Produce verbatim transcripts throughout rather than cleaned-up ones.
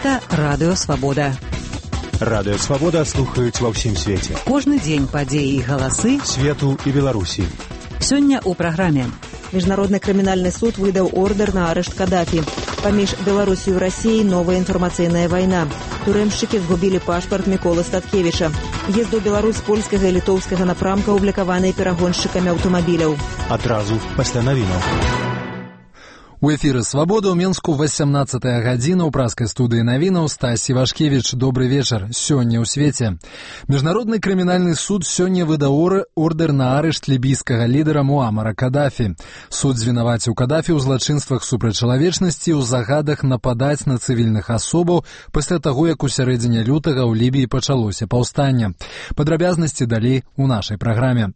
Гэта Радыё Свабода. Радыё Свабода слухаюць ва ўсім свеце. Кожны дзень падзеі і галасы свету і Беларусі. Сёння ў праграме. Міжнародны крымінальны суд выдаў ордер на арышт Каддафі. Паміж Беларусью і Расіяй новая інфармацыйная вайна. Турэмшчыкі згубілі пашпарт Міколы Статкевіча. Езд у Беларусь польскага і літоўскага напрамка аблікаваныя перагоншчыкамі аўтамабіляў. Адразу пасля навінаў. У эфіры «Свабода» ў Менску васямнаццатая гадзіна ў праскай студыі навінаў Стась Івашкевіч. Добры вечар. Сёння ў свеце. Міжнародны крымінальны суд сёння выдаў ордер на арышт лібійскага лідара Муамара Каддафі. Суд звінаваціў Каддафі ў злачынствах супраць чалавечнасці і ў загадах нападаць на цывільных асобаў пасля таго, як у сярэдзіне лютага ў Лібіі пачалося паўстанне. Падрабязнасці далей у нашай праграме.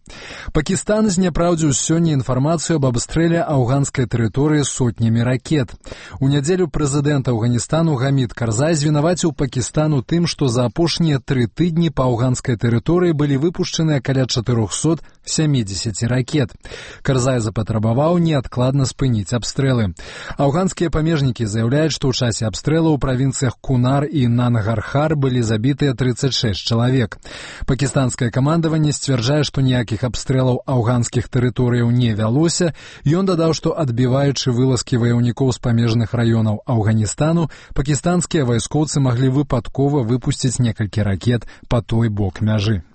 Пакістан зняпраўдзіў сёння інфармацыю аб абстрэле афганскай тэрыторыі сотні ракет. У нядзелю прэзідэнт Афганістану Гамід Карзай звінаваціў Пакістан у тым, што за апошнія тры тыдні па афганскай тэрыторыі былі выпушчаныя каля чатырохсот сямідзесят ракет. Карзай запатрабаваў неадкладна спыніць абстрэлы. Афганскія памежнікі заяўляюць, што ў часе абстрэлу ў правінцыях Кунар і Нангархар былі забітыя трыццаць шэсць чалавек. Пакістанскае камандаванне сцвярджае, што ніякіх абстрэлаў афганскіх тэрыторыяў не вялося. Ён дадаў, што адбіваючы вылазкі ваяўнікоў з памежных раёнаў Афганістану, пакістанскія вайскоўцы маглі выпадкова выпусціць некалькі ракет па той бок мяжы.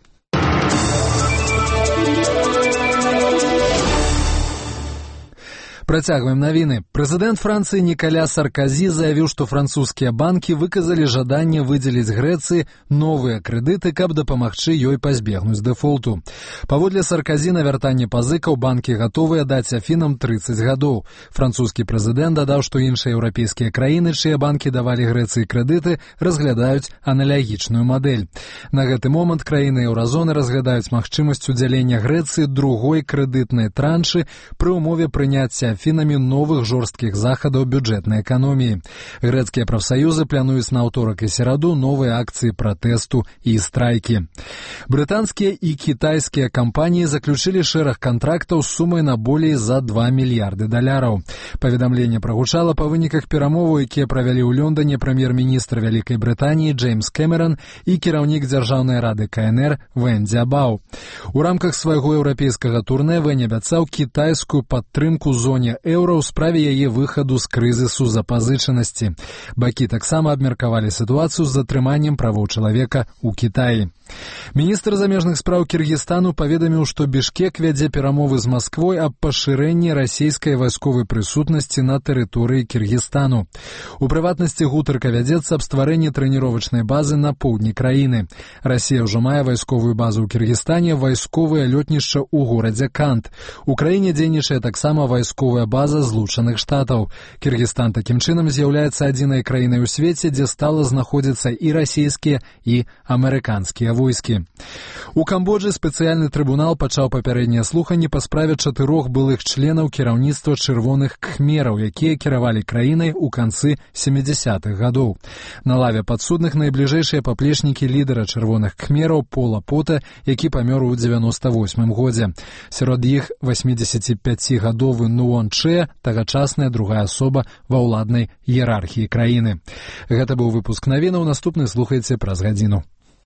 Працягваем навіны. Прэзідэнт Францыі Нікаля Сарказі заявіў, што французскія банкі выказалі жаданне выдзеліць Грэцыі новыя крэдыты, каб дапамагчы ёй пазбегнуць дэфолту. Паводле Сарказі на вяртанне пазыкаў банкі гатовыя даць Афінам трыццаць гадоў. Французскі прэзідэнт дадаў, што іншыя еўрапейскія краіны, чыя банкі давалі Грэцыі крэдыты, разглядаюць аналагічную мадэль. На гэты момант краіны еўразоны разглядаюць магчымасць удзялення Грэцыі другой крэдытнай траншы пры ўмове прыняцця Афінамі новых жорсткіх захадаў бюджэтнай эканоміі. Грэцкія прафсаюзы плануюць на аўторак і сераду новыя акцыі пратэсту і страйкі. Брытанскія і кітайскія кампаніі заключылі шэраг кантрактаў з сумай на болей за два мільярды даляраў. Паведамленне прагучала па выніках перамоваў, якія правялі ў Лондоне прэм'ер-міністр Вялікай Брытаніі Джеймс Кэмеран і кіраўнік дзяржаўнай рады ка эн эр Вэнді Абау. У рамках свайго еўрапейскага турнэ Вэнь абяцаў кітайскую падтрымку зоне еўра ў справе яе выхаду з крызісу запазычанасці. Бакі таксама абмеркавалі сітуацыю з затрыманнем правоў чалавека ў Кітаі. Міністр замежных спраў Кіргізстану паведаміў, што Бішкек вядзе перамовы з Масквой аб пашырэнні расійскай вайсковай прысутнасці на тэрыторыі Кіргізстану. У прыватнасці гутарка вядзецца аб стварэнні трэніровачнай базы на поўдні краіны. Расія ўжо мае вайсковую базу ў Кіргізстане, вайсковае лётнішча ў горадзе Кант. У краіне дзейнічае таксама вайсковая база Злучаных Штатаў. Кіргізстан такім чынам з'яўляецца адзінай краінай у свеце, дзе стала знаходзіцца і расійскія, і амерыканскія войскі. У Камбоджы спецыяльны трыбунал пачаў папярэднія слуханні па справе чатырох былых членаў кіраўніцтва чырвоных кхмераў, якія кіравалі краінай у канцы сямідзясятых гадоў. На лаве падсудных найбліжэйшыя паплечнікі лідара чырвоных кхмераў Пола Пота, які памёр у дзевяноста восьмым годзе. Сярод іх васьмідзесятіпяцігадовы Нуон Чэ, тагачасная другая асоба ва ўладнай іерархіі краіны. Гэта быў выпуск навінаў, наступны слухайце праз гадзіну.